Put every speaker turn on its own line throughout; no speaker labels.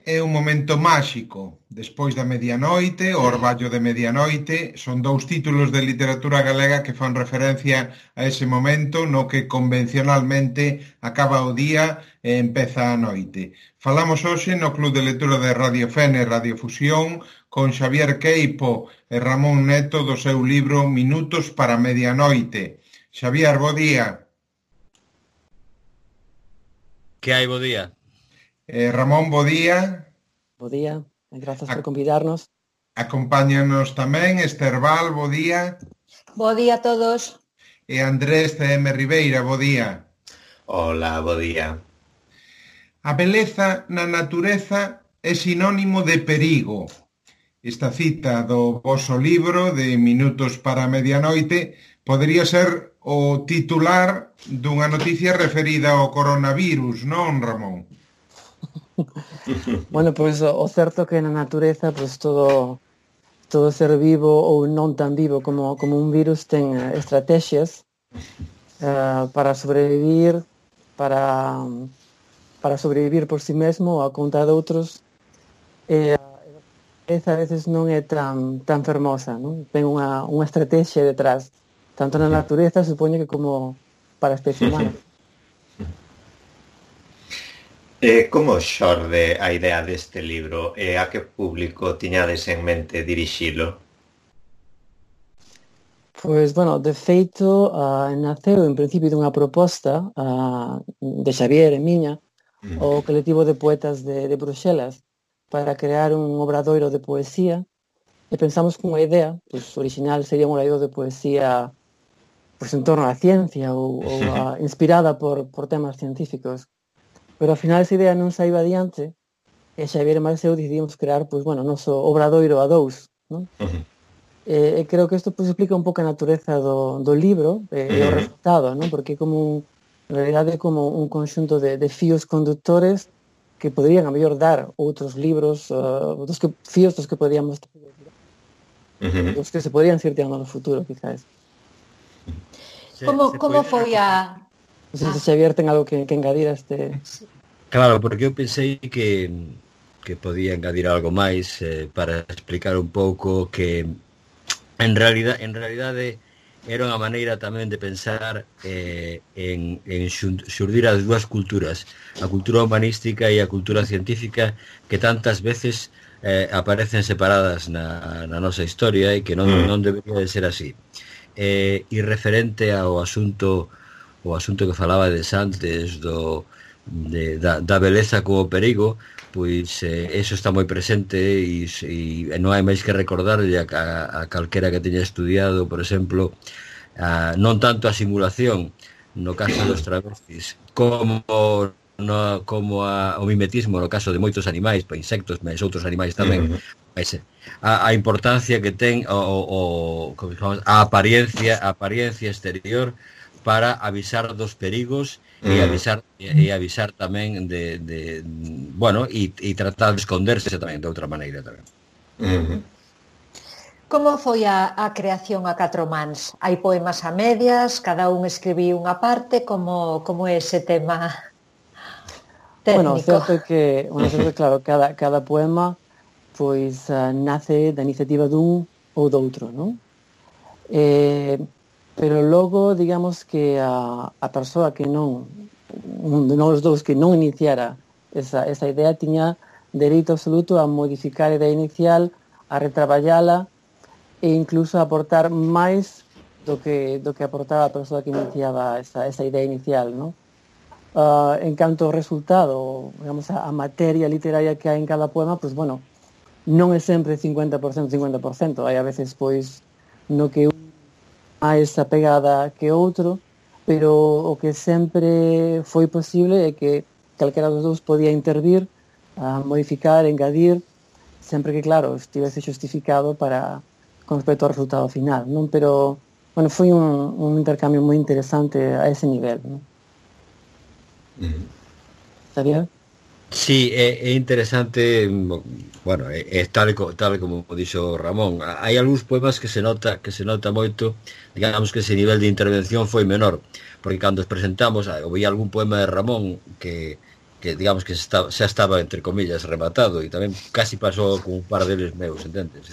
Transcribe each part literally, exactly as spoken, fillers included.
É un momento máxico. Despois da medianoite, o orballo de medianoite, son dous títulos de literatura galega que fan referencia a ese momento no que convencionalmente acaba o día e empeza a noite. Falamos hoxe no Club de Lectura de Radio Fene e Radio Fusión con Xavier Queipo e Ramón Neto do seu libro Minutos para a medianoite. Xavier, bo día.
Que hai, bo día.
Eh, Ramón, bo día.
Bo día, e grazas por convidarnos.
Acompáñanos tamén Ester Val, bo día.
Bo día a todos.
E Andrés C M Ribeira, bo día.
Hola, bo día.
A beleza na natureza é sinónimo de perigo. Esta cita do voso libro de Minutos para a medianoite podería ser o titular dunha noticia referida ao coronavirus, non, Ramón?
Bueno, pois o, o certo que na natureza pois todo todo ser vivo ou non tan vivo como, como un virus ten estrategias uh, para sobrevivir, para, para sobrevivir por si mesmo ou a conta de outros. E esa a veces non é tan, tan fermosa, non? Ten unha, unha estrategia detrás, tanto na natureza, supoño que como para a especie humana.
Eh, como xorde a idea deste libro e a que público tiñades en mente dirixilo?
Pois, bueno, de feito, uh, naceu en principio dunha proposta uh, de Xavier e miña, mm. o colectivo de poetas de, de Bruxelas, para crear un obradoiro de poesía, e pensamos que unha idea pois, original sería un obradoiro de poesía pois, en torno á ciencia ou, ou a, inspirada por, por temas científicos. Pero ao final esa idea non saiu adiante e Xavier e máis eu decidimos crear, pois, bueno, noso obradoiro a dous, non? Uh-huh. E, e creo que isto pois, explica un pouco a natureza do, do libro e, uh-huh. e o resultado, non? Porque é como un, en realidade é como un conxunto de, de fíos conductores que poderían a mellor dar outros libros, uh, dos que, fíos dos que podíamos uh-huh. dos que se podrían seguir tirando no futuro, quizás.
Como, como foi a...
Non sei se Xavier ten algo que, que engadir a este...
Claro, porque eu pensei que, que podía engadir algo máis eh, para explicar un pouco que en realidade, en realidade era unha maneira tamén de pensar eh, en, en xurdir as dúas culturas, a cultura humanística e a cultura científica, que tantas veces eh, aparecen separadas na, na nosa historia e que non, non debería de ser así. Eh, e referente ao asunto o asunto que falaba de antes do, de, da, da beleza como perigo, pois eh, eso está moi presente e, e non hai máis que recordarlle a, a, a calquera que teña estudiado, por exemplo, a, non tanto a simulación no caso dos travestis como, no, como a, o mimetismo no caso de moitos animais, pa insectos, mas outros animais tamén, uh-huh. mas, a, a importancia que ten o, o, o, a apariencia a apariencia exterior para avisar dos perigos e avisar e avisar tamén de, de bueno, e, e tratar de esconderse tamén de outra maneira tamén.
Uh-huh. Como foi a, a creación a catro mans? Hai poemas a medias, cada un escribiu unha parte, como como é ese tema técnico?
Bueno, certo é que, bueno, certo, claro, cada cada poema pois uh, nace da iniciativa dun ou doutro, non? Eh Pero logo, digamos que a, a persoa que non, un de nós dous que non iniciara esa, esa idea, tiña dereito absoluto a modificar a idea inicial, a retraballala e incluso a aportar máis do que, do que aportaba a persoa que iniciaba esa, esa idea inicial, non? Uh, en canto ao resultado, digamos, a, a materia literaria que hai en cada poema, pois, bueno, non é sempre cincuenta por cento, cincuenta por cento. Hai a veces, pois, no que máis apegada que outro, pero o que sempre foi posible é que calquera dos dous podía intervir, a modificar, engadir, sempre que, claro, estivese justificado para con respecto ao resultado final, non? Pero, bueno, foi un, un intercambio moi interesante a ese nivel, non?
Mm.
Sabía?
Sí, é, é interesante, bueno, é, é tal, tal como dixo Ramón. Hai algúns poemas que se nota que se nota moito, digamos que ese nivel de intervención foi menor, porque cando os presentamos, ouvi algún poema de Ramón que, que digamos que está, xa estaba, entre comillas, rematado, e tamén casi pasou con un par deles meus, entendes?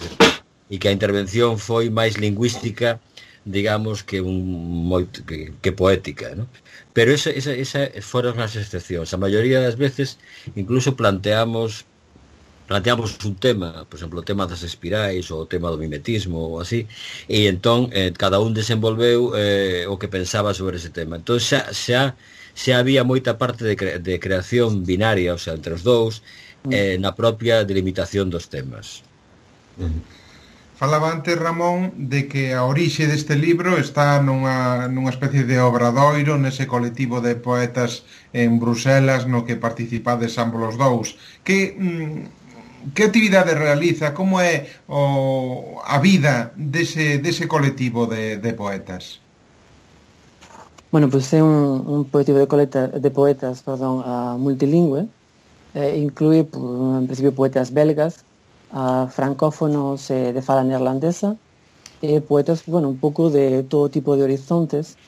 E que a intervención foi máis lingüística, digamos, que un moito, que, que poética, ¿no? Pero esa, esa, esa foron as excepcións. A maioría das veces incluso planteamos planteamos un tema, por exemplo, o tema das espirais ou o tema do mimetismo ou así, e entón eh, cada un desenvolveu eh, o que pensaba sobre ese tema. Entón xa, xa, xa había moita parte de, cre de creación binaria, o sea, entre os dous, eh, na propia delimitación dos temas.
Falaba antes, Ramón, de que a orixe deste libro está nunha, nunha especie de obradoiro nese colectivo de poetas en Bruselas no que participades ambos os dous. Que... Mm, que actividade realiza? Como é o, a vida dese, dese colectivo de, de poetas?
Bueno, pues é un, un colectivo de, coleta, de poetas perdón, uh, multilingüe, eh, inclúe, en principio, poetas belgas, uh, francófonos eh, de fala neerlandesa, e poetas, bueno, un pouco de todo tipo de horizontes.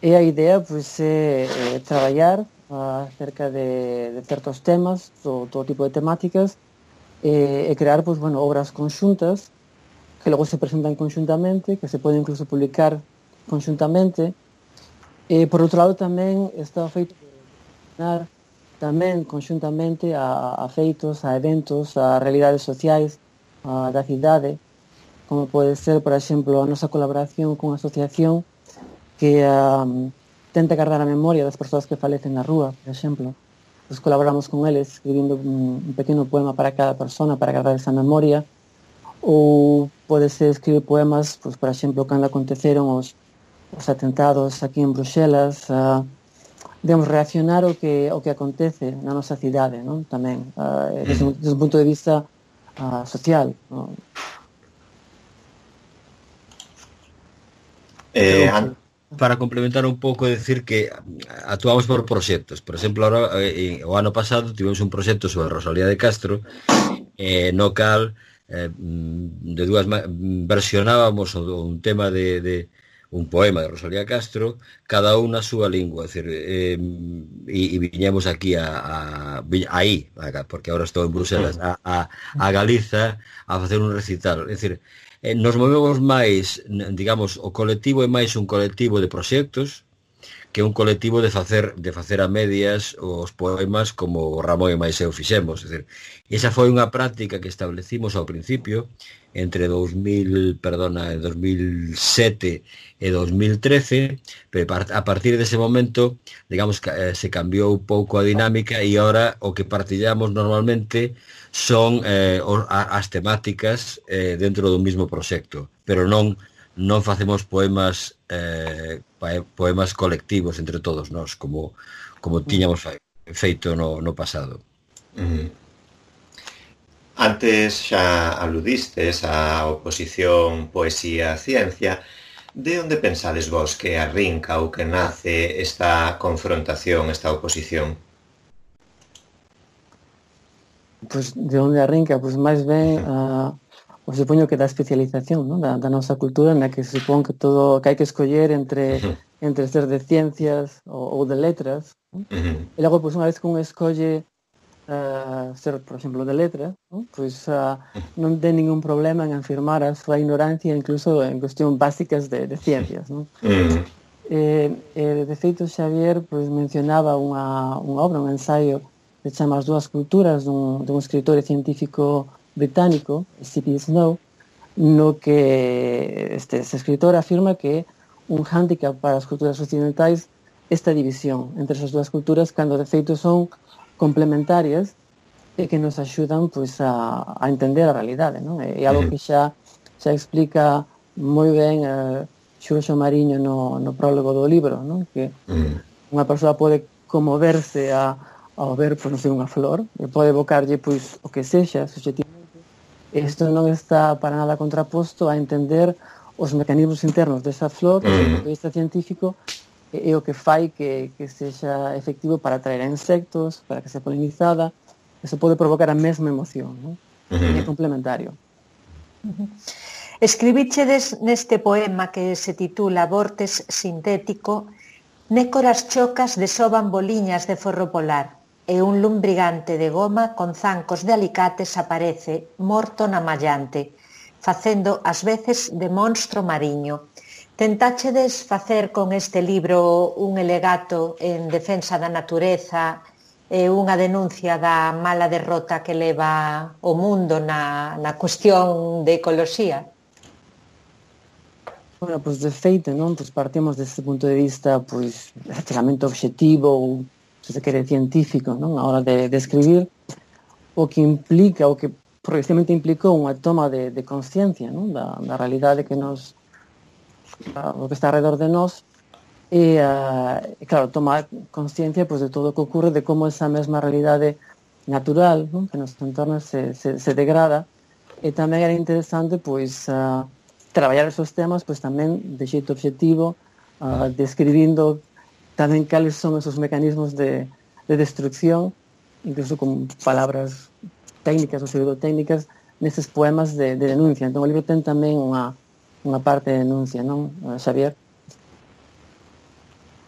E a idea, pues, é eh, traballar uh, acerca de, de certos temas, todo, todo tipo de temáticas, e, e crear, pues, bueno, obras conxuntas que logo se presentan conxuntamente, que se poden incluso publicar conxuntamente. E, por outro lado, tamén está feito por tamén conxuntamente a, a feitos, a eventos, a realidades sociais a, da cidade, como pode ser, por exemplo, a nosa colaboración con a asociación que um, tenta guardar a memoria das persoas que falecen na rúa, por exemplo. Pues colaboramos con eles escribindo un, un pequeno poema para cada persona para guardar esa memoria, ou pode ser escribir poemas, pues, por exemplo, cando aconteceron os, os atentados aquí en Bruxelas, uh, digamos, reaccionar ao que, ao que acontece na nosa cidade, non? Tamén, uh, desde, desde un punto de vista uh, social, non?
Eh, para complementar un pouco, decir que actuamos por proxectos. Por exemplo, ahora, eh, o ano pasado tivemos un proxecto sobre Rosalía de Castro, eh, no cal eh, de dúas versionábamos un tema de, de un poema de Rosalía Castro, cada un na súa lingua, é dicir, eh, e, e viñemos aquí a, a aí, porque agora estou en Bruselas, a, a, a Galiza a facer un recital, é dicir, eh, nos movemos máis, digamos, o colectivo é máis un colectivo de proxectos que un colectivo de facer de facer a medias os poemas como Ramón e máis eu fixemos, é dicir, esa foi unha práctica que establecimos ao principio entre dous mil, perdona, dos mil sete e dos mil trece, pero a partir dese momento, digamos que eh, se cambiou un pouco a dinámica e agora o que partillamos normalmente son eh, as temáticas eh, dentro do mismo proxecto, pero non non facemos poemas eh, poemas colectivos entre todos nós, como como tiñamos feito no, no pasado.
Uh-huh. Antes xa aludistes á oposición poesía-ciencia. De onde pensades vos que arrinca ou que nace esta confrontación, esta oposición?
Pues de onde arrinca? Pues máis ben uh, o supoño que da especialización, ¿no? da, da nosa cultura, na que se supón que todo que hai que escoller entre uh-huh. entre ser de ciencias ou, ou de letras, ¿no? Uh-huh. E logo, pues, unha vez que un escolle uh, ser, por exemplo, de letras, ¿no? Pues uh, non ten ningún problema en afirmar a súa ignorancia incluso en cuestión básicas de, de ciencias, ¿no? Uh-huh. eh, eh, de feito, Xavier, pues, mencionaba unha, unha obra, un ensaio que se chama As dúas culturas, dun, dun escritor e científico británico, C P Snow, no que este, este escritor afirma que un hándicap para as culturas occidentais esta división entre esas dúas culturas, cando de feito son complementarias e que nos axudan, pois, a, a entender a realidade, non? É algo que xa, xa explica moi ben uh, Xurxo Mariño no, no prólogo do libro, non? Que unha persoa pode conmoverse a ao ver, pois, non sei, unha flor, e pode evocarlle, pois, o que sexa, subjetivamente. Isto non está para nada contraposto a entender os mecanismos internos desa flor, desde o punto de vista científico, e, e o que fai que, que sexa efectivo para atraer a insectos, para que sea polinizada. Eso pode provocar a mesma emoción, non? Uh-huh. É complementario.
Uh-huh. Escribichedes neste poema que se titula Vortes sintético: nécoras chocas desoban boliñas de forro polar. e un lumbrigante de goma con zancos de alicates aparece morto na mallante, facendo ás veces de monstro mariño. Tentáchedes facer con este libro un alegato en defensa da natureza e unha denuncia da mala derrota que leva o mundo na, na cuestión de ecoloxía?
Bueno, pois de feito, non? Pois partimos deste punto de vista pois relativamente objetivo ou, se se quere, científico, non? A hora de, de escribir, o que implica, o que progresivamente implicou unha toma de, de consciencia, non? Da, da realidade que nos o que está alrededor de nós e, uh, claro, tomar consciencia pois, de todo o que ocurre, de como esa mesma realidade natural, non? Que nos entorna se, se, se degrada, e tamén era interesante pois uh, traballar esos temas pois tamén de xeito objetivo, uh, describindo tamén cales son esos mecanismos de, de destrucción, incluso con palabras técnicas ou pseudotécnicas neses poemas de, de denuncia. Entón o libro ten tamén unha unha parte de denuncia, non, Xavier?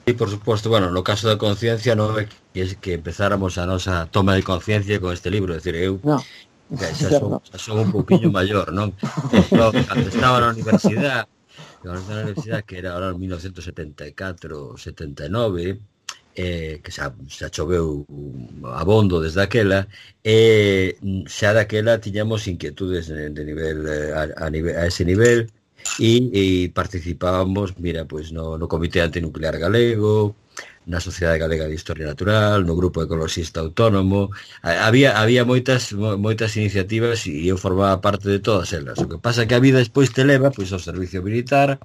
Sí, por suposto, bueno, no caso da conciencia non é que, que empezáramos a nosa toma de conciencia con este libro, é dicir, eu
no,
xa, son, xa son un pouquiño maior, non? Entón, cando estaba na universidade, cando estaba na universidade, que era ahora en mil novecientos setenta e catro, setenta e nove, eh, que xa, xa choveu abondo desde aquela, e xa daquela tiñamos inquietudes de, de nivel, a, a, nivel, a ese nivel, e, e participábamos, mira, pois no, no Comité Antinuclear Galego, na Sociedade Galega de Historia Natural, no Grupo Ecoloxista Autónomo. Había había moitas moitas iniciativas e eu formaba parte de todas elas. O que pasa é que a vida despois te leva pois ao servicio militar,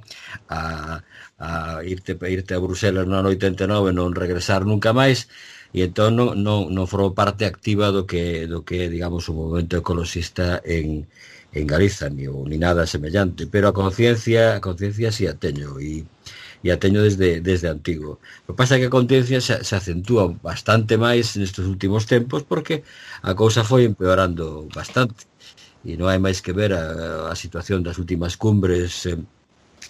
a, a irte irte a Bruselas no ano oitenta e nove, non regresar nunca máis, e entón non non non formou parte activa do que do que digamos o movimento ecoloxista en en Galiza, ni, ni nada semellante, pero a conciencia a conciencia si a teño e, e a teño desde, desde antigo. O que pasa é que a conciencia se, se acentúa bastante máis nestes últimos tempos porque a cousa foi empeorando bastante e non hai máis que ver a, a situación das últimas cumbres, eh,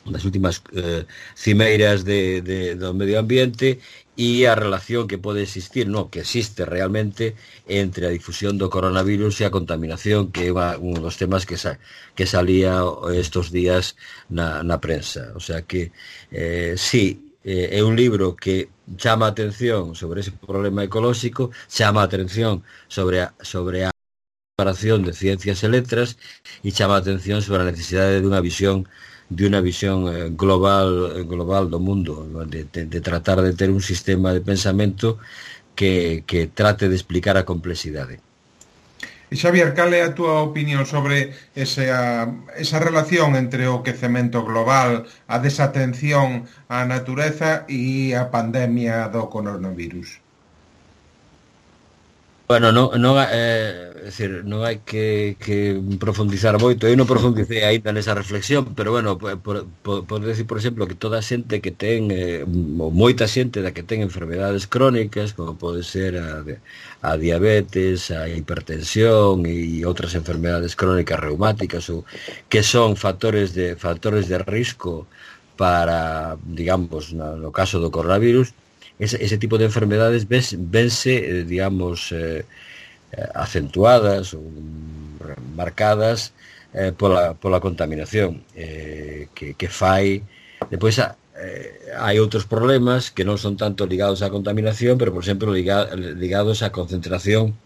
das últimas eh, cimeiras de, de, do medio ambiente e a relación que pode existir, no, que existe realmente entre a difusión do coronavirus e a contaminación, que é un dos temas que, sa, que salía estos días na, na prensa. O sea que, eh, sí, eh, é un libro que chama a atención sobre ese problema ecolóxico, chama a atención sobre a, sobre a separación de ciencias e letras e chama a atención sobre a necesidade de unha visión de unha visión global global do mundo, de, de, de tratar de ter un sistema de pensamento que, que trate de explicar a complexidade.
E Xavier, cal é a túa opinión sobre esa, esa relación entre o quecemento global, a desatención á natureza e a pandemia do coronavirus?
Bueno, non, non, eh, é dicir, non hai que, que profundizar moito. Eu non profundicei aínda nesa reflexión, pero bueno, por, por, por decir, por exemplo, que toda a xente que ten, eh, moita xente da que ten enfermedades crónicas, como pode ser a, a diabetes, a hipertensión e outras enfermedades crónicas reumáticas, ou, que son factores de factores de risco para, digamos, no, no caso do coronavirus, Ese, ese tipo de enfermedades ves, vense, eh, digamos, eh, acentuadas ou marcadas eh, pola, pola contaminación eh, que, que fai. Depois eh, hai outros problemas que non son tanto ligados á contaminación, pero, por exemplo, liga, ligados á concentración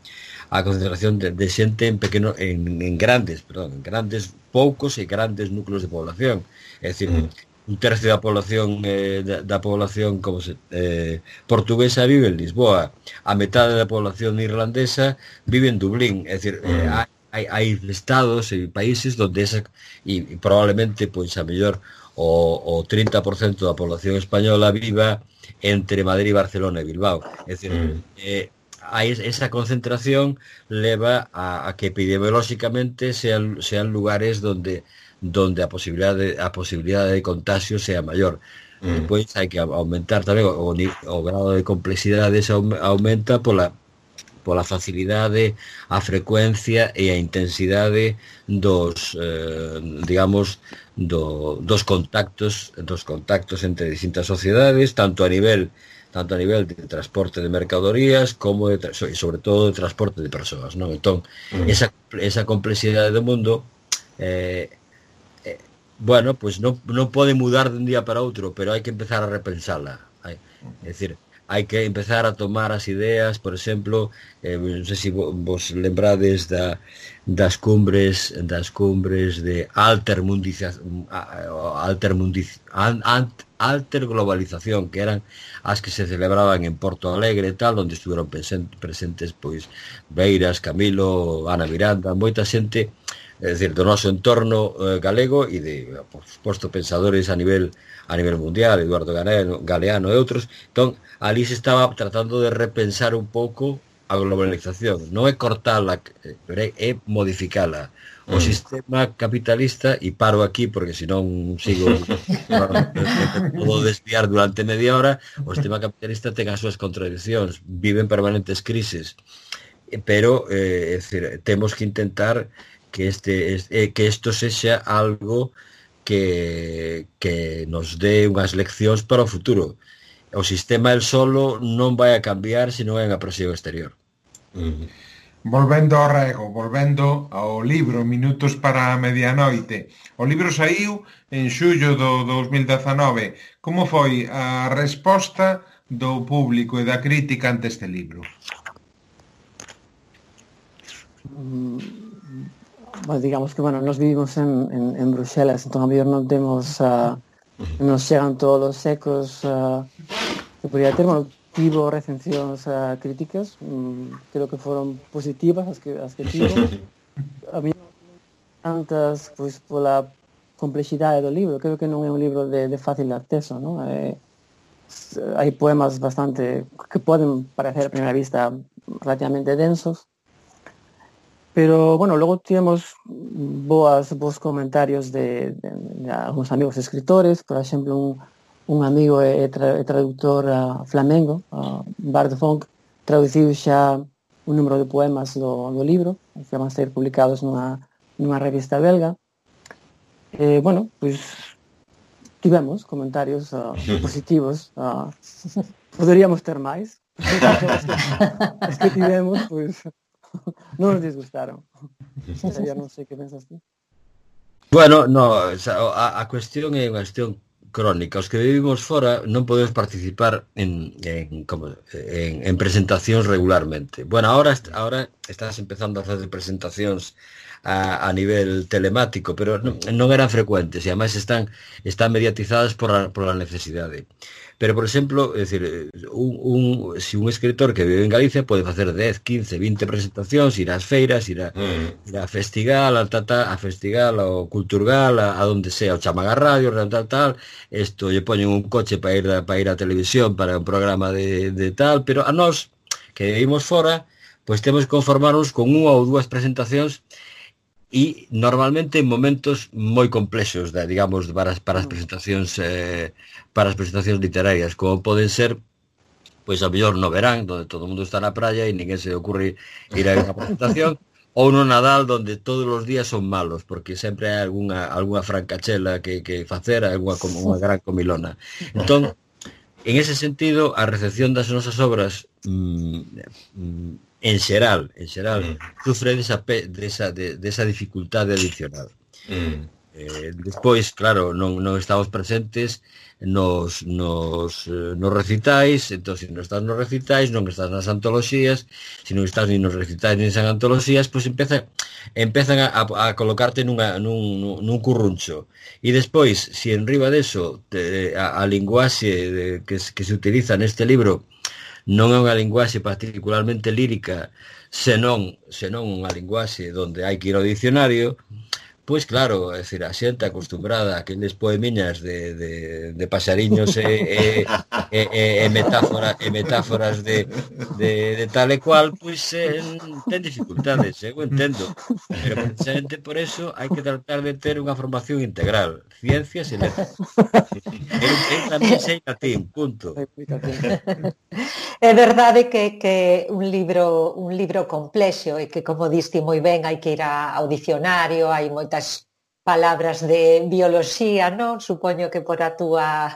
a concentración de, de xente en pequeno en, en grandes, perdón, en grandes, poucos e grandes núcleos de población. É dicir, mm. un tercio da población eh, da, da población como se, eh, portuguesa vive en Lisboa, a metade da población irlandesa vive en Dublín, é dicir, mm. eh, hai, hai estados e países onde esa, e, e probablemente pois a mellor o, o trinta por cento da población española viva entre Madrid, Barcelona e Bilbao, é dicir, mm. eh, hai esa concentración leva a, a que epidemiolóxicamente sean, sean lugares donde donde a posibilidade a posibilidade de contagio sea maior. Mm. Depois hai que aumentar tamén o, o grado de complexidade se aumenta pola pola facilidade, a frecuencia e a intensidade dos eh, digamos do, dos contactos dos contactos entre distintas sociedades, tanto a nivel tanto a nivel de transporte de mercadorías como de, e sobre todo de transporte de persoas, non? Entón, mm. esa, esa complexidade do mundo eh, eh, bueno, pois pues non, non pode mudar de un día para outro, pero hai que empezar a repensala. Hai, é dicir, hai que empezar a tomar as ideas, por exemplo, eh, non sei se vos lembrades da, das cumbres das cumbres de altermundización, altermundiz, alterglobalización, que eran as que se celebraban en Porto Alegre e tal, onde estuveron presentes pois Beiras, Camilo, Ana Miranda, moita xente, é dicir, do noso entorno eh, galego e de, por suposto, pensadores a nivel a nivel mundial, Eduardo Galeano, Galeano e outros. Entón, ali se estaba tratando de repensar un pouco a globalización, non é cortala, é modificala. O mm. sistema capitalista, e paro aquí porque senón sigo todo desviar durante media hora, o sistema capitalista ten as súas contradiccións, viven permanentes crises, pero eh, é dicir, temos que intentar que este eh, que isto sexa algo que, que nos dé unhas leccións para o futuro. O sistema el solo non vai a cambiar se non é unha presión exterior.
Mm. Volvendo ao rego, volvendo ao libro Minutos para a medianoite. O libro saiu en xullo do dos mil dezanove. Como foi a resposta do público e da crítica ante este libro?
Mm, bueno, digamos que, bueno, nos vivimos en, en, en Bruxelas, entón a mellor non temos, uh, nos chegan todos os ecos uh, que podría ter, bueno, tivo recensións uh, críticas, um, creo que foron positivas as que, as que tivo. A mí tantas, pois, pola complexidade do libro, creo que non é un libro de, de fácil acceso, non? Eh, hai poemas bastante que poden parecer a primeira vista relativamente densos, pero, bueno, logo tivemos boas, bons comentarios de, de, de algunos amigos escritores, por exemplo, un un amigo e, tra, e traductor uh, flamengo, uh, Bart Funk, traduciu xa un número de poemas do, do libro, que van a ser publicados nunha, nunha revista belga. E, bueno, pois, tivemos comentarios uh, positivos. Uh, poderíamos ter máis. As que tivemos, pois, non nos disgustaron. Ya non sei que pensas tú.
Bueno, no, a, a cuestión é unha cuestión crónica. Os que vivimos fora non podemos participar en, en, como, en, en presentacións regularmente. Bueno, ahora, ahora estás empezando a facer presentacións a, a nivel telemático, pero non, non eran frecuentes e ademais están, están mediatizadas por a, por a necesidade. Pero, por exemplo, é dicir, un, un, si un escritor que vive en Galicia pode facer dez, quince, vinte presentacións, ir ás feiras, ir a, mm. ir a Festigal, a, tata, a Festigal, ao Culturgal, a, a donde sea, o Chamaga Radio, tal, tal, tal, isto lle poñen un coche para ir, para ir a televisión, para un programa de, de tal, pero a nós, que vivimos fora, pois temos que conformarnos con unha ou dúas presentacións e normalmente en momentos moi complexos, de, digamos, para as, para as presentacións eh, para as presentacións literarias, como poden ser, pois a mellor no verán, donde todo o mundo está na praia e ninguén se ocurre ir a unha presentación, ou no Nadal, donde todos os días son malos, porque sempre hai algunha, algunha francachela que, que facer, algunha unha gran comilona. Entón, en ese sentido, a recepción das nosas obras mmm, mmm, en xeral, en xeral, mm. sufre desa, desa, de, desa dificultade adicional. Mm. Eh, despois, claro, non, non estamos presentes nos, nos, eh, nos recitais, entón, se non estás nos recitais, non estás nas antoloxías, se non estás ni nos recitais ni nas antoloxías, pois empeza, empezan a, a colocarte nunha, nun, nun curruncho. E despois, se en riba deso, te, a, a linguaxe de, que, que se utiliza neste libro non é unha linguaxe particularmente lírica, senón, senón unha linguaxe onde hai que ir ao dicionario, pois claro, é dicir, a xente acostumbrada a aqueles poemiñas de, de, de paxariños e, e, e, e, metáfora, e metáforas de, de, de tal e cual, pois eh, ten dificultades, eu entendo, pero precisamente por eso hai que tratar de ter unha formación integral, ciencias e letras. Eu, eu tamén sei latín, punto.
É verdade que, que un libro un libro complexo e que, como diste moi ben, hai que ir ao dicionario, hai moitas palabras de bioloxía, non? Supoño que por a túa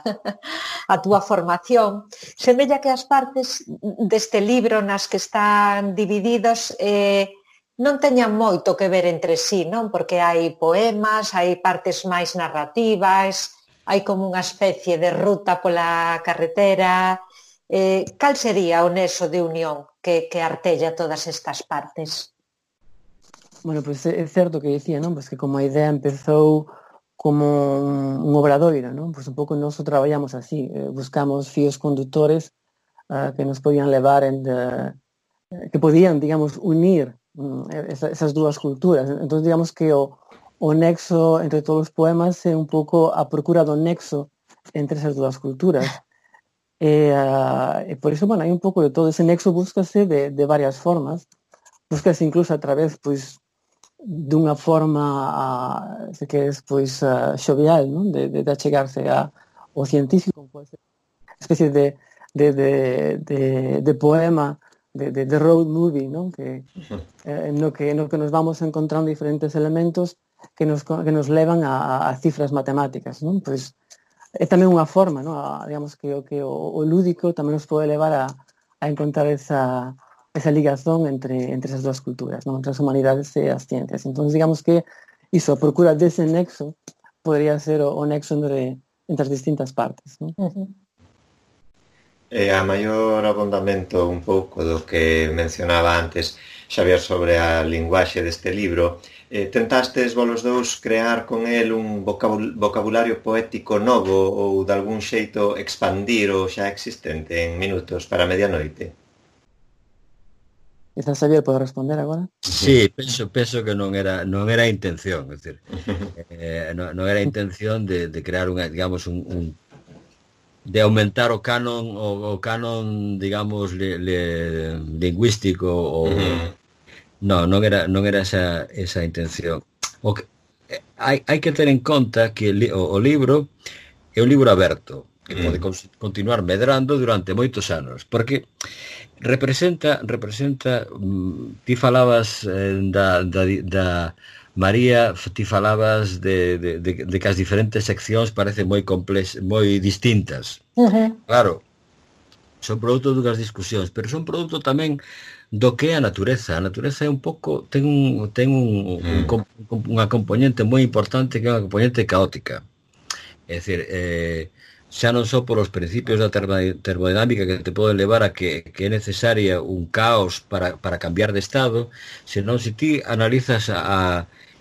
a túa formación. Semella que as partes deste libro nas que están divididos eh, non teñan moito que ver entre sí, non? Porque hai poemas, hai partes máis narrativas, hai como unha especie de ruta pola carretera. Eh, cal sería o nexo de unión que, que artella todas estas partes?
Bueno, pois pues é certo que dicía, non? Pois pues que como a idea empezou como un, un obradoiro, non? Pois pues un pouco nós traballamos así, eh, buscamos fíos conductores uh, que nos podían levar en de, que podían, digamos, unir um, esa, esas dúas culturas. Entón, digamos que o, o nexo entre todos os poemas é un pouco a procura do nexo entre esas dúas culturas. E, uh, e por iso, bueno, hai un pouco de todo ese nexo, búscase de, de varias formas, búscase incluso a través, pois, dunha forma, uh, se queres, pois, uh, xovial, non? De, de, de achegarse a, ao científico, pois, especie de, de, de, de, de poema, de, de, de road movie, non? Que, eh, no, que, no que nos vamos encontrando diferentes elementos que nos, que nos levan a, a cifras matemáticas, non? Pois, é tamén unha forma, non? A, digamos que o que o, o lúdico tamén nos pode levar a, a encontrar esa, esa ligazón entre, entre esas dúas culturas, non? Entre as humanidades e as ciencias. Entón, digamos que iso, a procura dese nexo podría ser o, o nexo entre, entre as distintas partes, non?
Uh-huh.
E a maior abondamento un pouco do que mencionaba antes Xavier sobre a linguaxe deste libro, eh, tentastes vos dous crear con el un vocabul vocabulario poético novo ou de algún xeito expandir o xa existente en Minutos para a Medianoite?
Quizás Xavier pode responder agora.
Sí, penso, penso que non era non era a intención, é dicir, eh, non, non era a intención de, de crear unha, digamos, un, un de aumentar o canon o, o canon, digamos, le, le, lingüístico ou uh-huh. non, non era non era esa esa intención. O que hai hai que ter en conta que li, o, o libro é un libro aberto que uh-huh. pode con, continuar medrando durante moitos anos, porque representa representa mm, ti falabas eh, da, da da María, ti falabas de, de, de, de que as diferentes seccións parecen moi complex, moi distintas.
Uh-huh.
Claro, son produto dunhas discusións, pero son produto tamén do que é a natureza. A natureza é un pouco, ten un, ten un, un, un, unha componente moi importante que é unha componente caótica. É dicir, eh, xa non só por os principios da termodinámica que te poden levar a que, que é necesaria un caos para, para cambiar de estado, senón se ti analizas a, a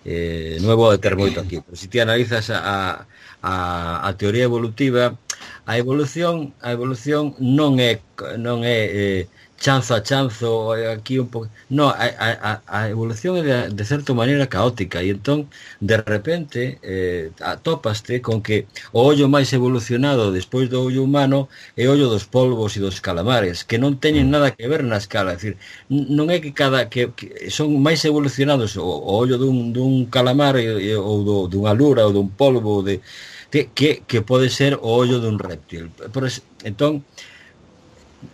eh, non vou deter moito aquí, pero se ti analizas a, a, a teoría evolutiva, a evolución a evolución non é non é eh, chanzo a chanzo aquí un pouco, non, a, a, a evolución é de, de certa maneira caótica e entón de repente eh, atópaste con que o ollo máis evolucionado despois do ollo humano é o ollo dos polvos e dos calamares, que non teñen nada que ver na escala, é dicir, non é que cada que, que son máis evolucionados o, o ollo dun, dun calamar e, ou do, dunha lura ou dun polvo de, que, que, que pode ser o ollo dun reptil. Por eso, entón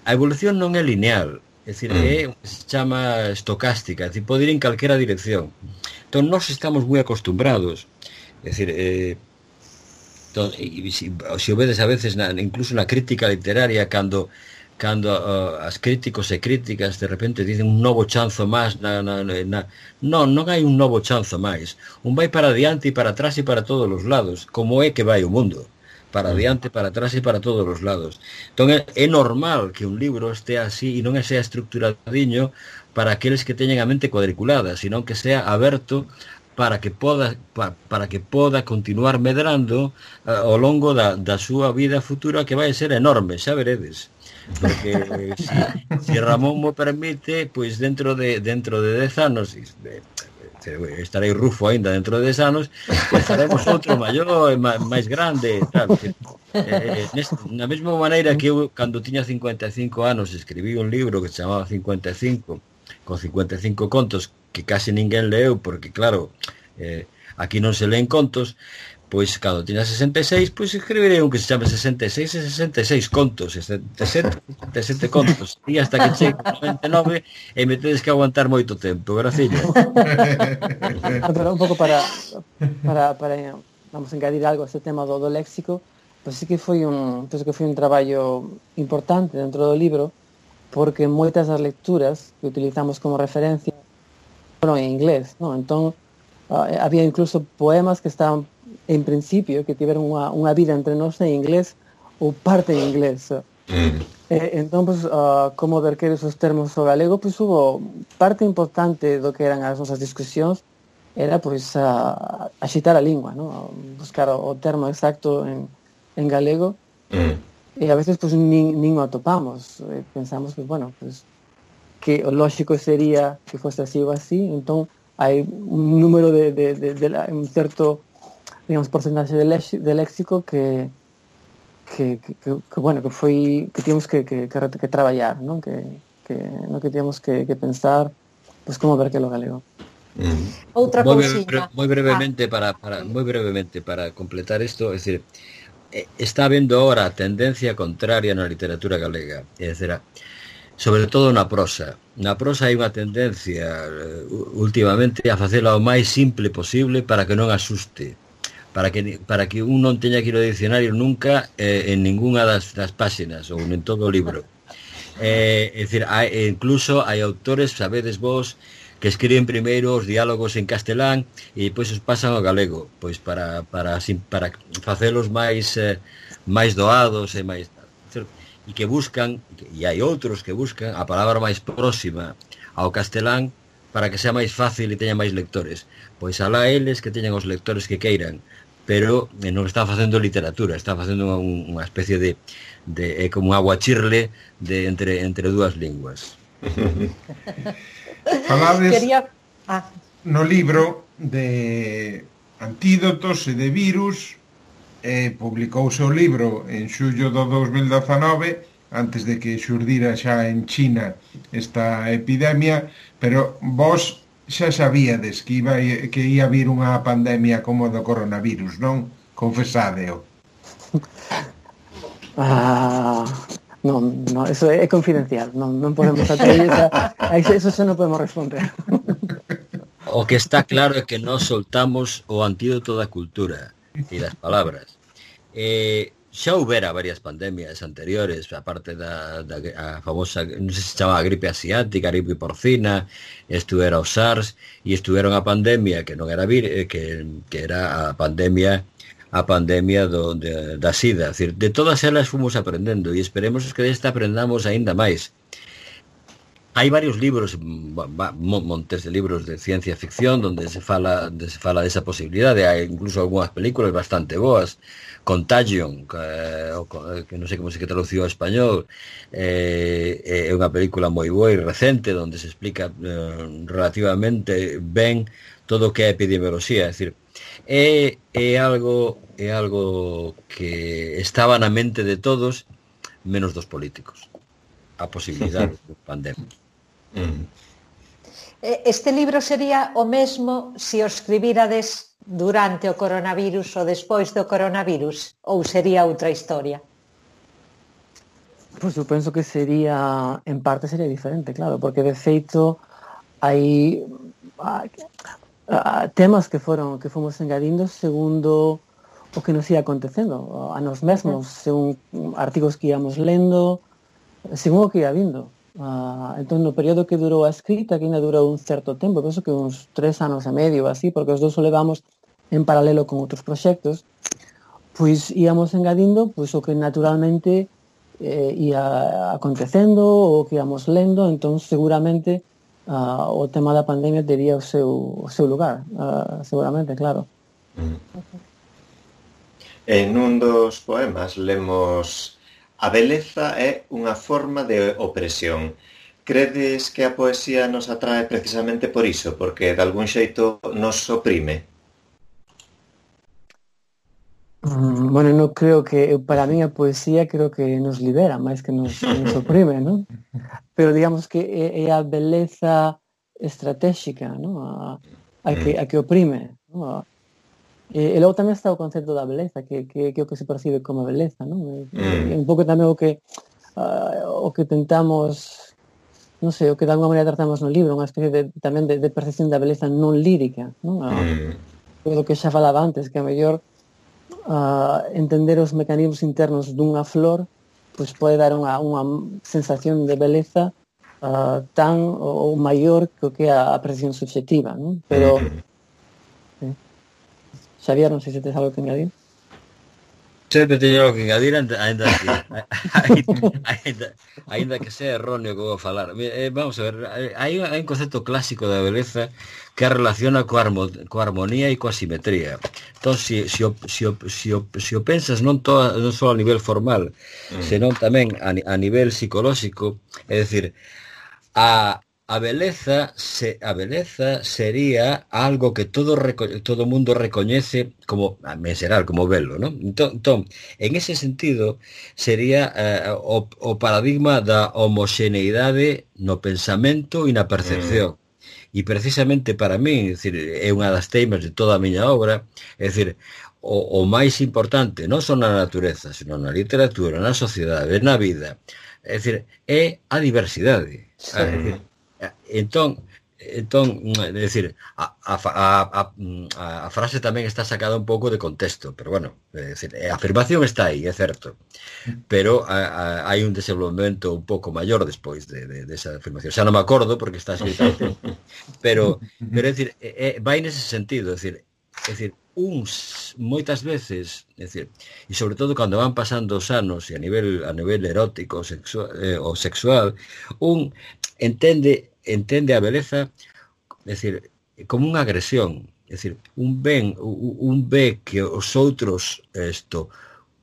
a evolución non é lineal, é dicir, é o que se chama estocástica, é dicir, pode ir en calquera dirección. Entón, nós estamos moi acostumbrados, é dicir, eh, entón, e, se, se o vedes a veces, na, incluso na crítica literaria, cando cando uh, as críticos e críticas de repente dicen un novo chanzo máis, na, na, na, non, non hai un novo chanzo máis, un vai para adiante e para atrás e para todos os lados, como é que vai o mundo, para adiante, para atrás e para todos os lados. Entón é, é normal que un libro este así e non sea estructuradiño para aqueles que teñen a mente cuadriculada, sino que sea aberto para que poda para, para que poda continuar medrando uh, ao longo da, da súa vida futura, que vai ser enorme, xa veredes. Porque si, si Ramón mo permite, pois dentro de dentro de dez anos de, estarei rufo aínda dentro de dez anos, pues faremos outro maior e máis grande, tal. Eh, neste, na mesma maneira que eu, cando tiña cincuenta e cinco anos, escribí un libro que se chamaba cincuenta e cinco, con cincuenta e cinco contos que case ninguén leu, porque claro, eh, aquí non se leen contos, pois cando tiña sesenta e seis, pois escribirei un que se chame sesenta e seis e sesenta e seis contos, sesenta e sete, sesenta e sete contos, e hasta que chegue noventa e nove e me tedes que aguantar moito tempo, graciña.
Pero un pouco para, para, para vamos a engadir algo a este tema do, do léxico, pois sí que foi un, penso que foi un traballo importante dentro do libro, porque moitas das lecturas que utilizamos como referencia foron en inglés, non? Entón, uh, había incluso poemas que estaban en principio, que tiveron unha, unha vida entre nós en inglés ou parte en inglés. Mm. Eh, entón, pues, uh, como verquer esos termos ao galego, pues, hubo parte importante do que eran as nosas discusións, era pues, uh, axitar a lingua, ¿no? Buscar o, o termo exacto en, en galego, mm. e a veces pues, nin, nin o atopamos. Eh, pensamos que, bueno, pues, que o lógico sería que fose así ou así, entón hai un número de, de, de, de, de un certo, digamos, porcentaxe de, lex, de léxico que, que, que, que, que, bueno, que foi, que tínhamos que, que, que, que traballar, non? Que, que, no que tínhamos que, que pensar, pues, como ver que lo galego.
Mm. Outra
moi,
cousiña.
Moi brevemente, ah. para, para, moi brevemente, para completar isto, é dicir, está habendo ahora a tendencia contraria na literatura galega, é dicir, sobre todo na prosa. Na prosa hai unha tendencia uh, últimamente a facela o máis simple posible para que non asuste, para que para que un non teña que ir ao dicionario nunca eh, en ningunha das, das páxinas ou en todo o libro. Eh, é dicir, hai, incluso hai autores, sabedes vos, que escriben primeiro os diálogos en castelán e depois os pasan ao galego, pois para para para facelos máis eh, máis doados e máis, e que buscan, e hai outros que buscan a palabra máis próxima ao castelán para que sea máis fácil e teña máis lectores. Pois alá eles que teñan os lectores que queiran, pero non están facendo literatura, están facendo unha, unha especie de, de é como un aguachirle de entre entre dúas linguas.
Falades
Quería... ah.
no libro de antídotos e de virus. Eh, publicouse o libro en xullo do dos mil dezanove, antes de que xurdira xa en China esta epidemia, pero vos xa sabíades que iba que ia vir unha pandemia como do coronavirus, non? Confesádeo.
Ah, non, no, eso é confidencial, non, non podemos atraer esa, eso xa non podemos responder.
O que está claro é que nós soltamos o antídoto da cultura e das palabras. Eh, xa houbera varias pandemias anteriores, aparte da, da a famosa, non sei se se chamaba gripe asiática, gripe porcina, estuvera o SARS, e estuveron a pandemia que non era vir, que, que era a pandemia a pandemia do, de, da SIDA. Es decir, de todas elas fomos aprendendo e esperemos que desta aprendamos aínda máis. Hai varios libros, montes de libros de ciencia ficción donde se fala, donde se fala desa posibilidade, hai incluso algunhas películas bastante boas. Contagion, que, que non sei como se que traduciu ao español, eh, é unha película moi boa e recente onde se explica eh, relativamente ben todo o que é epidemioloxía, é dicir, é, é algo é algo que estaba na mente de todos menos dos políticos, a posibilidade de pandemia.
Este libro sería o mesmo se o escribirades durante o coronavirus ou despois do coronavirus, ou sería outra historia?
Pois eu penso que sería, en parte sería diferente, claro, porque de feito hai a, a, temas que foron que fomos engadindo segundo o que nos ia acontecendo a nós mesmos, según artigos que íamos lendo, según o que ia vindo. Uh, entón, no período que durou a escrita, que ainda durou un certo tempo, penso que uns tres anos e medio, así, porque os dous o levamos en paralelo con outros proxectos, pois íamos engadindo pois o que naturalmente eh, ia acontecendo, o que íamos lendo, entón seguramente uh, o tema da pandemia tería o seu, o seu lugar, uh, seguramente, claro.
En un dos poemas lemos: a beleza é unha forma de opresión. Credes que a poesía nos atrae precisamente por iso, porque de algún xeito nos oprime?
Mm, bueno, non creo que, para mí a poesía creo que nos libera máis que nos, nos oprime, ¿no? Pero digamos que é, é a beleza estratégica, ¿no? A, a, que, a que oprime, ¿no? E, e logo tamén está o concepto da beleza, que, que, que é o que se percibe como beleza, non? E, mm. e un pouco tamén o que uh, o que tentamos, non sei, o que de alguma maneira tratamos no libro, unha especie de, tamén de, de percepción da beleza non lírica, non? Uh, mm. O que xa falaba antes, que a mellor uh, entender os mecanismos internos dunha flor pois pode dar unha, unha sensación de beleza uh, tan ou maior que o que é a percepción subjetiva, non? Pero mm. Xavier, non sei se tes algo que engadir.
Sempre teño algo que engadir, ainda, ainda, ainda, ainda que sea erróneo que vou falar. Eh, vamos a ver, hai, hai un concepto clásico da beleza que relaciona coa, armo, coa armonía e coa simetría. Entón, se si, si, si, si, si o pensas non, toda, non só a nivel formal, mm. senón tamén a, a nivel psicolóxico, é dicir, a... A beleza, se, a beleza sería algo que todo todo mundo recoñece como, en xeral, como belo, ¿no? Entón, entón en ese sentido, sería eh, o, o paradigma da homoxeneidade no pensamento e na percepción. Mm. E precisamente para mí, é, dicir, é unha das teimas de toda a miña obra, é dicir, o, o máis importante, non só na natureza, senón na literatura, na sociedade, na vida, é dicir, é a diversidade. Sí. É dicir, entón, entón, é dicir, a, a, a, a, a frase tamén está sacada un pouco de contexto, pero bueno, é dicir, a afirmación está aí, é certo, pero a, a, hai un desenvolvemento un pouco maior despois de, de, de esa afirmación. Xa non me acordo porque está escrita, pero, pero é dicir, é, vai nese sentido, é dicir, é dicir, uns moitas veces, é dicir, e sobre todo cando van pasando os anos e a nivel a nivel erótico sexual, eh, ou sexual, un entende entende a beleza, é dicir, como unha agresión, é dicir, un ben, un ve que os outros isto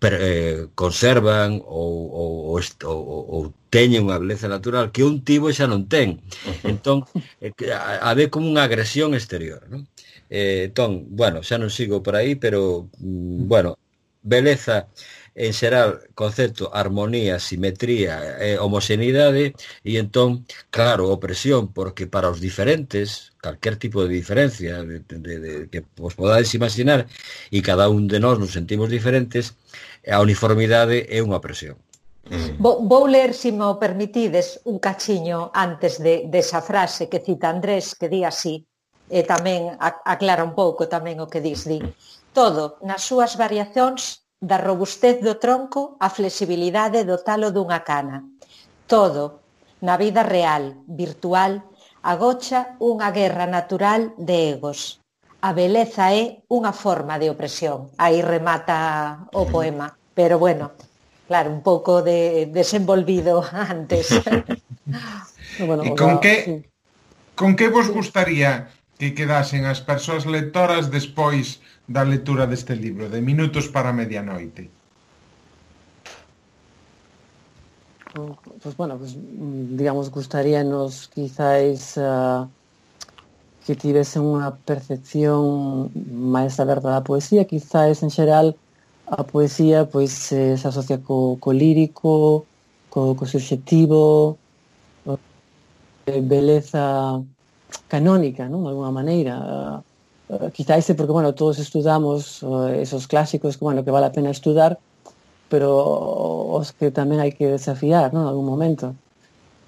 per, eh, conservan ou, ou, ou, ou teñen unha beleza natural que un tivo xa non ten. Entón, eh, a, a ve como unha agresión exterior, non? Eh, entón, bueno, xa non sigo por aí, pero, mm, bueno, beleza en xeral, concepto, armonía, simetría, eh, homoxeneidade, e entón, claro, opresión, porque para os diferentes, calquer tipo de diferencia de, de, de, que vos podades imaginar, e cada un de nós nos sentimos diferentes, a uniformidade é unha opresión.
Mm. Vou, vou ler, se me o permitides, un cachiño antes de, desa frase que cita Andrés, que di así, e tamén aclara un pouco tamén o que dis, di. Todo, nas súas variacións, da robustez do tronco á flexibilidade do talo dunha cana. Todo, na vida real, virtual, agocha unha guerra natural de egos. A beleza é unha forma de opresión. Aí remata o poema. Pero bueno, claro, un pouco de desenvolvido antes.
Bueno, e con que, con que vos gustaría que quedasen as persoas lectoras despois da lectura deste libro, de Minutos para a Medianoite?
Pues bueno, pues, digamos, gustaríanos quizáis uh, que tivese unha percepción máis aberta da poesía, quizáis en xeral a poesía pois se, se asocia co, co lírico, co, co subjetivo, co, beleza canónica, non? De alguna maneira. Uh, quizás é porque, bueno, todos estudamos uh, esos clásicos que, bueno, que vale a pena estudar, pero os que tamén hai que desafiar, non? En algún momento.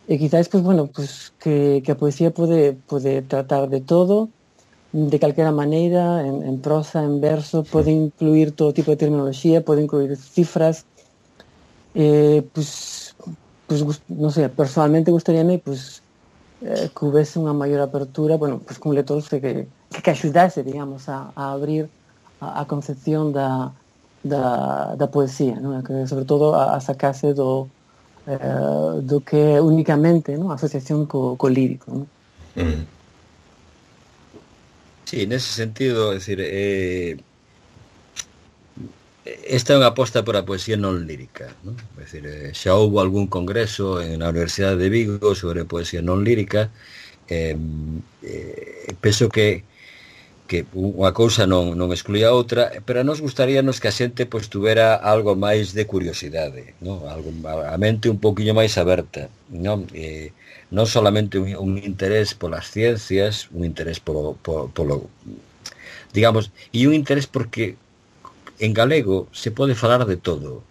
E quizás, pues, bueno, pues, que, que a poesía pode, pode tratar de todo, de calquera maneira, en, en prosa, en verso, pode incluir todo tipo de terminoloxía, pode incluir cifras. Eh, pues, pues, non sei, personalmente gustaríame, pues, eh, que houvese unha maior apertura, bueno, pues, con lectores que, que axudase, digamos, a, a abrir a, a concepción da, da, da poesía, non? Que sobre todo a, a sacase do, eh, do que é únicamente, non? A asociación co, co lírico, non?
Mm. Sí, nese sentido, é dicir, eh, esta é unha aposta por a poesía non lírica, non? É dicir, xa houve algún congreso na Universidade de Vigo sobre poesía non lírica. eh, eh, penso que que unha cousa non, non excluía a outra, pero a nos gustaríanos que a xente pois tuvera algo máis de curiosidade, non? Algo, a mente un pouquiño máis aberta, non? Eh, non solamente un, un interés polas ciencias, un interés polo, polo, polo digamos, e un interés porque en galego se pode falar de todo.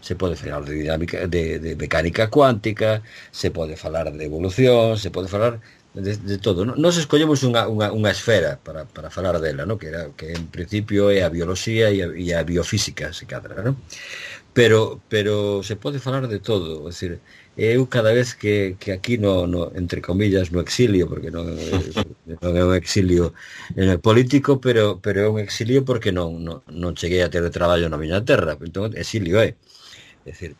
Se pode falar de dinámica, de, de mecánica cuántica, se pode falar de evolución, se pode falar de, de todo. Nos escollemos unha, unha, unha esfera para, para falar dela, ¿no? que, era, que en principio é a bioloxía e a, e a biofísica, se cadra, ¿no? Pero, pero se pode falar de todo, é dicir, eu cada vez que, que aquí no, no, entre comillas, no exilio, porque non, non é un exilio político, pero, pero é un exilio porque non, non, non cheguei a ter traballo na miña terra, entón exilio é. É dicir,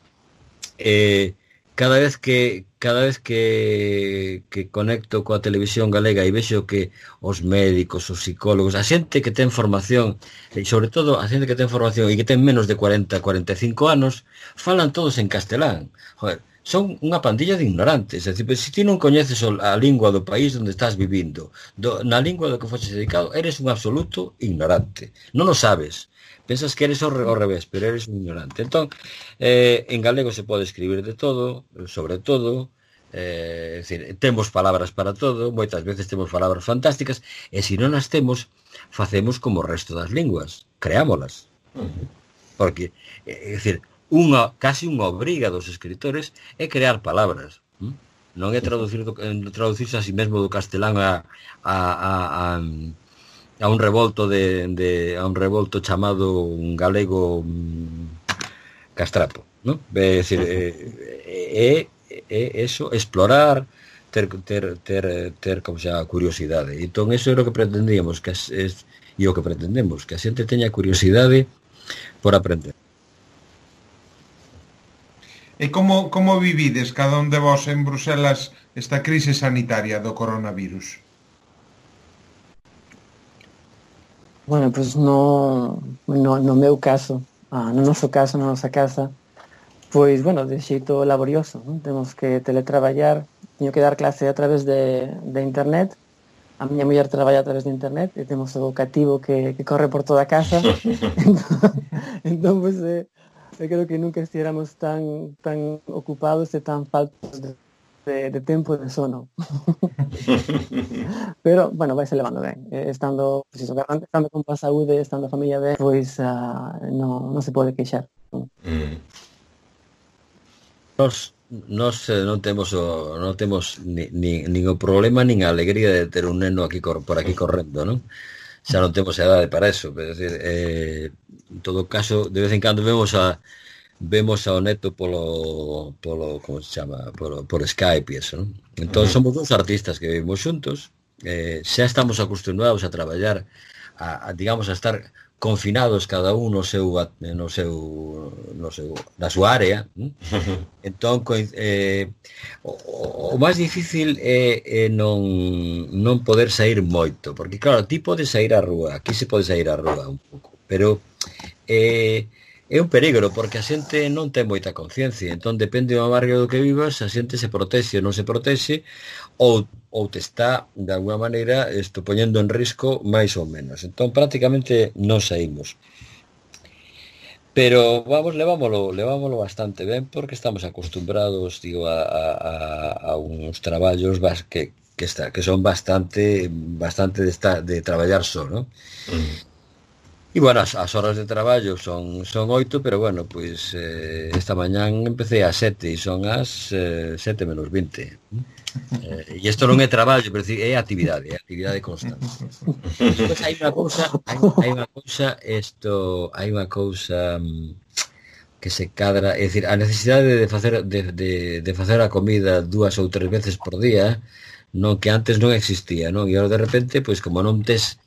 eh, cada vez que cada vez que, que conecto coa televisión galega e vexo que os médicos, os psicólogos, a xente que ten formación, e sobre todo a xente que ten formación e que ten menos de cuarenta, cuarenta e cinco anos, falan todos en castelán. Joder, son unha pandilla de ignorantes. É dicir, se ti non coñeces a lingua do país onde estás vivindo, do, na lingua do que foches dedicado, eres un absoluto ignorante. Non o sabes. Pensas que eres ao, ao revés, pero eres un ignorante. Entón, eh, en galego se pode escribir de todo, sobre todo, eh, é dicir, temos palabras para todo, moitas veces temos palabras fantásticas, e se non as temos, facemos como o resto das linguas, creámolas. Porque, é dicir, unha, casi unha obriga dos escritores é crear palabras. Non é traducir, traducirse a si mesmo do castelán a... a, a, a a un revolto de, de a un revolto chamado un galego mm, castrapo, ¿no? É dicir, é, é, é eso, explorar, ter ter ter ter como xa curiosidade. Entón eso é o que pretendíamos, que es, es e o que pretendemos, que a xente teña curiosidade por aprender.
E como como vivides cada un de vos en Bruselas esta crise sanitaria do coronavirus?
Bueno, pois pues no, no, no meu caso, ah, no noso caso, na nosa casa, pois, bueno, de xeito laborioso, non? Temos que teletraballar, teño que dar clase a través de, de internet, a miña muller traballa a través de internet, e temos o cativo que, que corre por toda a casa, entón, entón pois, eh, eu creo que nunca estiéramos tan, tan ocupados e tan faltos de De, de tempo de sono. Pero, bueno, vai se levando ben. Eh, estando, pues, eso, estando con a saúde, estando a familia ben, pois uh, non no se pode queixar.
Mm. Nos, nos eh, non temos o, non temos ni, ni, nin o problema nin a alegría de ter un neno aquí por aquí correndo, non? Xa non temos edade para eso, é dicir, eh, en todo caso, de vez en cando vemos a vemos ao neto polo, polo como se chama, polo, por Skype e eso, non? Entón, somos dous artistas que vivimos xuntos, eh, xa estamos acostumbrados a traballar, a, a, digamos, a estar confinados cada un no seu, no seu, no seu, na súa área, non? Entón, eh, o, o máis difícil é, é non, non poder sair moito, porque, claro, ti podes sair á rúa, aquí se pode sair á rúa un pouco, pero eh, é un peligro, porque a xente non ten moita conciencia, entón depende do barrio do que vivas, a xente se protexe ou non se protexe, ou, ou te está, de alguna maneira, esto, poñendo en risco máis ou menos. Entón, prácticamente non saímos. Pero, vamos, levámoslo, levámoslo bastante ben, porque estamos acostumbrados, digo, a, a, a uns traballos que, que, está, que son bastante, bastante de, esta, de traballar só, ¿no? Mm. E, bueno, as, as horas de traballo son son oito, pero, bueno, pois eh, esta mañán empecé ás sete e son as eh, sete menos vinte. Eh, e isto non é traballo, pero é actividade, é actividade constante. Despois hai unha cousa, hai, hai unha cousa, isto, hai unha cousa que se cadra, é dicir, a necesidade de facer de, de, de facer a comida dúas ou tres veces por día, non que antes non existía, non? E agora de repente, pois como non tes,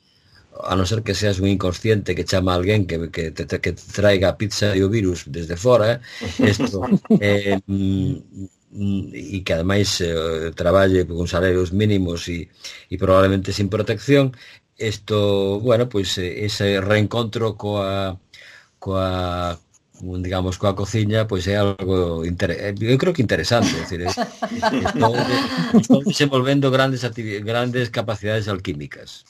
a non ser que seas un inconsciente que chama a alguén que, que, te, que te traiga pizza e o virus desde fora, isto, eh, e que ademais eh, traballe con salarios mínimos e, e probablemente sin protección, isto, bueno, pois pues, ese reencontro coa coa digamos, coa cociña, pois é algo inter... eu creo que interesante, é dicir, estou, estou desenvolvendo grandes grandes capacidades alquímicas.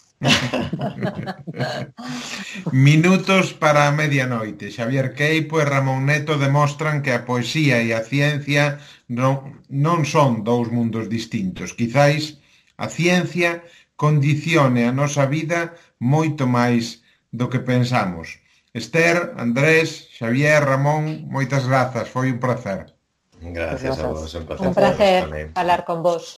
Minutos para a medianoite. Xavier Queipo e Ramón Neto demostran que a poesía e a ciencia non, non son dous mundos distintos. Quizáis a ciencia condicione a nosa vida moito máis do que pensamos. Esther, Andrés, Xavier, Ramón, moitas grazas, foi un placer.
Gracias a vos, un placer.
Un placer falar con vos.